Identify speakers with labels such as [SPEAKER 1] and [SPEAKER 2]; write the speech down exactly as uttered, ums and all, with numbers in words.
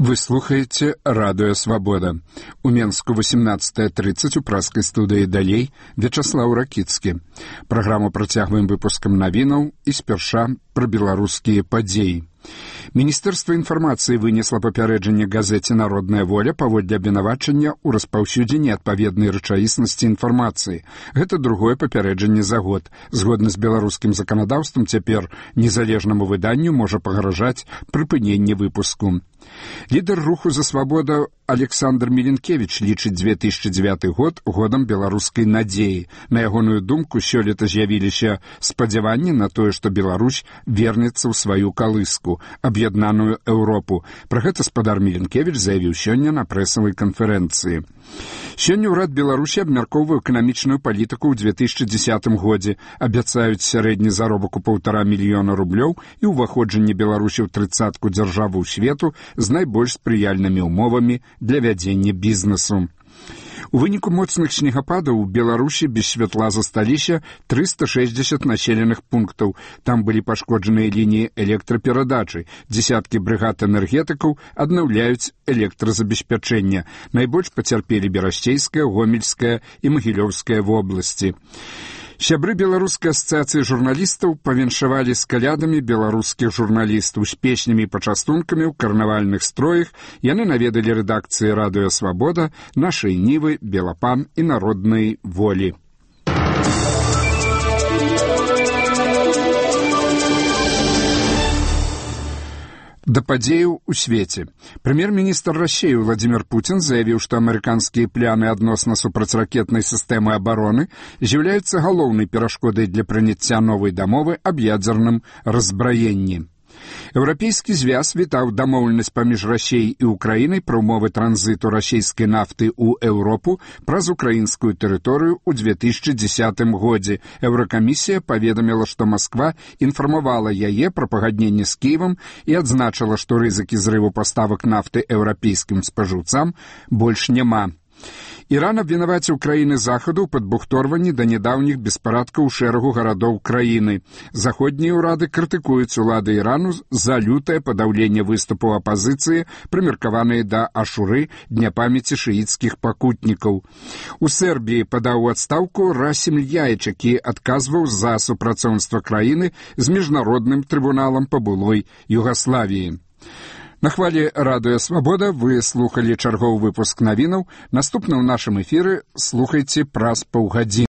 [SPEAKER 1] Вы слухаеце радыё «Свабода». У Менску восемнадцатая тридцать у праскай студыі «Далей» Вячаслаў Ракіцкі. Праграму працягваем выпускам навінаў і спярша пра беларускія падзеі. Міністэрства інфармацыі вынесла папярэджанне газеце «Народная воля» паводле абвінавачання ў распаўсюдзе неадпаведнай рэчаіснасці інфармацыі. Гэта другое папярэджанне за год. Згодна з беларускім заканадаўствам цяпер незалежнаму выданню можа пагражаць прыпыненне выпуску. Лідар руху за свабоду Александр Міленкевіч лічыць две тысячы дзевяты год годам беларускай надзеі. На ягоную думку, сёлета з'явіліся спадзяванні на тое, што Беларусь вернецца ў сваю калыску, аб'яднаную Еўропу. Пра гэта спадар Міленкевіч заявіў сёння на прэсавай канферэнцыі. Сёння ўрад Беларусі абмяркоўвае эканамічную палітыку ў две тысячы дзесятым годзе. Абяцаюць сярэдні заробак у паўтара мільёна рублёў і ўваходжанне Беларусі ў трыццатку дзяржаваў свету з найбольш спрыяльнымі ўмовамі для вядзення бізнесу. У выніку моцных снегападаў у Беларусі без святла засталіся трыста шэсцьдзесят населеных пунктаў. Там былі пашкоджаныя лініі электраперадачы. Дзесяткі брыгад энергетыкаў аднаўляюць электразабеспячэнне. Найбольш пацярпелі Берасцейская, Гомельская і Магілёўская вобласці. Сябры беларускай асацыяцыі журналістаў павіншавалі з калядамі беларускіх журналістаў з песнямі і пачастункамі ў карнавальных строях. Яны наведалі рэдакцыі радыё «Свабода», нашай Нівы, Белапан і Народнай волі. Да падзеяў у свеце. Прэм'ер-міністр Расіі Владзімір Пуцін заявіў, што амерыканскія пляны адносна супрацьракетнай сістэмы абароны з'яўляюцца галоўнай перашкодай для прыняцця новай дамовы аб ядзерным раззбраенні. Еўрапейскі звяз вітаў дамоўленасць паміж Расіяй і Украінай пра ўмовы транзіту расійскай нафты ў Еўропу праз украінскую тэрыторыю ў две тысячы дзесятым годзе. Еўракамісія паведаміла, што Масква інфармавала яе пра пагадненне з Кіевам і адзначыла, што рызыкі зрыву паставак нафты еўрапейскім спажыўцам больш няма. Іран абвінаваціў краіны захаду ў падбухторванні да нядаўніх беспарадкаў у шэрагу гарадоў краіны. Заходнія ўрады крытыкуюць улады Ірану за лютае падаўленне выступаў апазіцыі, прымеркаваныя да Ашуры, дня памяці шыіцкіх пакутнікаў. У Сербіі падаў у адстаўку Расім Льяіч, які адказваў за супрацоўніцтва краіны з міжнародным трыбуналам па былой Югаславіі. На хвалі радыё «Свабода» вы слухалі чарговы выпуск навінаў. Наступны ў нашым эфіры слухайце праз паўгадзіны.